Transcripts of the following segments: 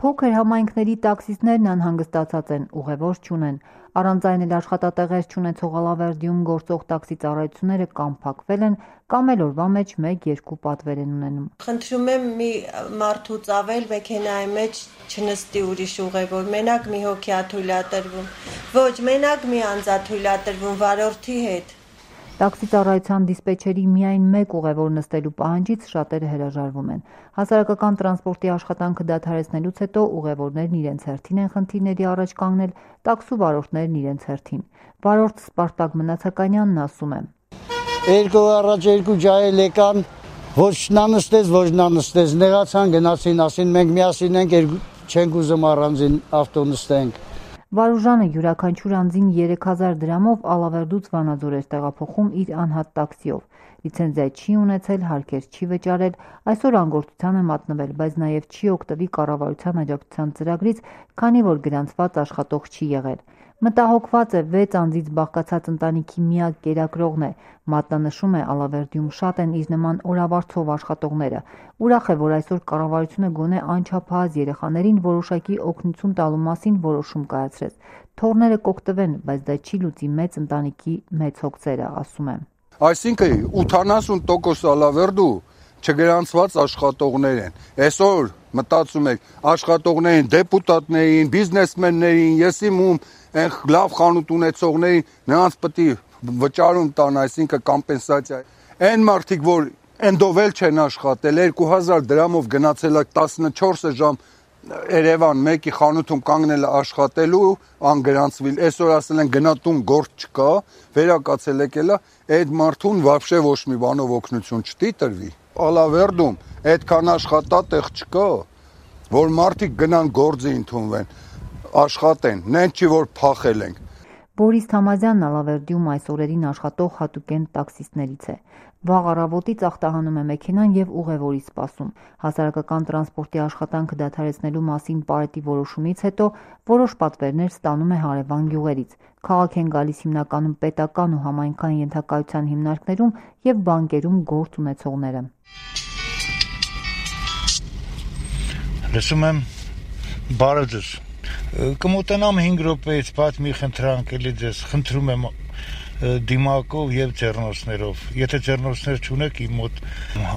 Փոքր համայնքների տաքսիստներն անհանգստացած են, ուղևոր չունեն։ Առանց այն էլ աշխատատեղեր չունեցող Ալավերդիում գործող տաքսի ծառայությունները կամ փակվել են, կամ էլ օրվա մեջ 1-2 պատվեր են ունենում։ Խնդրում եմ մի մարդուց ավել մեքենայի մեջ չնստի ուրիշ ուղևոր, մենակ մի հոգի ա թույլատրվում։ Ոչ, մենակ մի անձ ա թույլատրվում վարորդի հետ։ Տաքսի ծառայության դիսպեչերի միայն 1 ուղևոր նստելու պահանջից շատերը հրաժարվում են։ Հասարակական տրանսպորտի աշխատանքը դադարեցնելուց հետո ուղևորներն իրենց հերթին են խնդիրների առաջ կանգնել, տաքսու վարորդներն իրենց հերթին։ Վարորդ Սպարտակ Մնացականյանն ասում է. Երկու առաջ 2 ջահել եկան, ոչ նա նստեց, ոչ նա նստեց, նեղացան, գնացին, ասին մենք միասին ենք, չենք ուզում առանձին ավտո նստենք։ Վարուժանը յուրաքանչյուր անձին 3000 դրամով Ալավերդուց Վանաձոր էր տեղափոխում իր անհատ տաքսիով։ Լիցենզիա չի ունեցել, հարկեր չի վճարել, այսօր անգործության է մատնվել, բայց նաև չի օգտվի կառավարության աջակցության ծրագրից, քանի որ գրանցված աշխատող չի եղել։ Մտահոգված է 6 անձից բաղկացած ընտանիքի միակ կերակրողն է։ Մատնանշում է Ալավերդիում շատ են իր նման օրավարձով աշխատողները։ Ուրախ է, որ այսօր կառավարությունը գոնե անչափահաս երեխաներին որոշակի օգնություն տալու մասին որոշում կայացրեց։ Թոռները կօգտվեն, բայց դա չի լուծի մեծ ընտանիքի մեծ հոգսերը, ասում է։ Այսինքն 80% Ալավերդու չգրանցված աշխատողներ են։ Այսօր մտածում եք աշխատողներին, դեպուտատներին, բիզնեսմեններին, եսիմ ում այն լավ խանութ ունեցողներին նրանց պետք է վճարում տան, այսինքն կոմպենսացիա։ Այն մարդիկ, որ ընդովել չեն աշխատել, 2000 դրամով գնացել 14 ժամ Երևան մեկի խանութում կանգնել աշխատելու, անգրանցվել, այսօր ասել են գնատուն գործ չկա, վերակացել եկելա, այդ մարդուն вообще ոչ մի բանով օգնություն չտի տրվի։ Ալավերդում այդքան աշխատատեղ չկա, որ մարդիկ գնան գործի ընդունվեն, աշխատեն, նեն չի որ փախել ենք։ Բորիս Թամազյանն Ալավերդիում այս օրերին աշխատող հատուկեն տաքսիստներից է։ Վաղ առավոտից ախտահանում է մեքենան եւ ուղևորի սպասում։ Հասարակական տրանսպորտի աշխատանքը դադարեցնելու մասին Պարետի որոշումից հետո որոշ պատվերներ ստանում է հարևան գյուղերից։ Քաղաք են գալիս հիմնականում պետական ու համայնքային ենթակայության հիմնարկներում եւ բանկերում գործ ունեցողները։ Լսում եմ, բարև ձեզ։ Կմոտենամ 5 րոպեից բաց մի խնդրանք էլի ձեզ, խնդրում եմ դիմակով եւ ձեռնոցներով։ Եթե ձեռնոցներ չունեք, իմ մոտ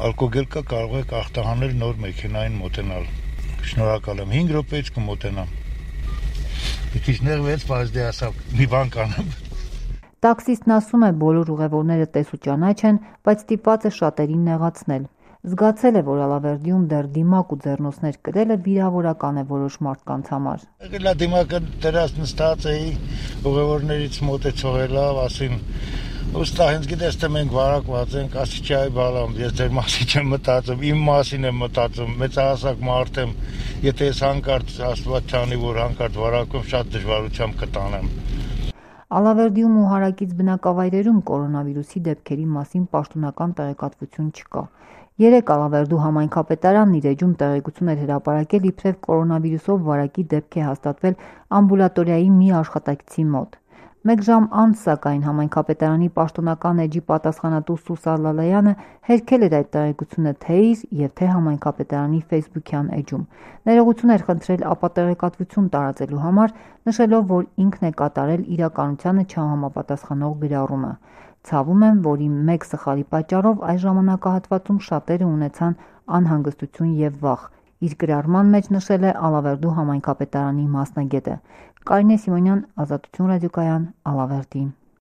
ալկոգել կա, կարող եք ախտահանել նոր մեքենային մոտենալ։ Շնորհակալ եմ, 5 րոպեից կմոտենամ։ Պիտի ներվեց, բայց դե ասա մի բան կանեմ։ Տաքսիստն ասում է, բոլոր ուղևորները տեսու ճանաչ են, բայց ստիպված է շատերին նեղացնել։ Զգացել է, որ Ալավերդիում դեռ դիմակ ու ձեռնոցներ կրելը վիրավորական է որոշ մարդկանց համար։ Եկելա դիմակը դրած նստած էի, ուղևորներից մոտեցող է լավ, ասին, ուստա հենց գիտես թե մենք վարակված ենք, ասի չի այ բալամ, ես ձեր մասին չեմ մտածում, իմ մասին եմ մտածում, մեծահասակ մարդ եմ, եթե ես հանկարծ Աստված չանի, որ հանկարծ վարակում, շատ դժվարությամբ կտանեմ։ Ալավերդիում ու հարակից բնակավայրերում կորոնավիրուսի դեպքերի մասին պաշտոնական տեղեկատվություն չկա։ Երեկ Ալավերդու համայնքապետարանն իր էջում տեղեկություն էր հրապարակել, իբրև կորոնավիրուսով վարակի դեպք է հաստատվել ամբուլատորիայի մի աշխատակցի մոտ։ 1 ժամ անց, սակայն, համայնքապետարանի պաշտոնական էջի պատասխանատու Սուսա Լալայանը հերքել էր այդ տեղեկությունը թե իր եւ թե համայնքապետարանի ֆեյսբուքյան էջում։ Ներողություն էր խնդրել ապատեղեկատվություն տարածելու համար, նշելով, որ ինքն է կատարել իրականությանը չհամապատասխանող գրառումը։ Ցավում եմ, որ իմ մեկ սխալի պատճառով այս ժամանակահատվածում շատերը ունեցան անհանգստություն եւ վախ։ Իր գրառման մեջ նշել է Ալավերդու համայնքապետարանի մասնագետը։ Կարինե Սիմոնյան, Ազատություն ռադիոկայան, Ալավերդի։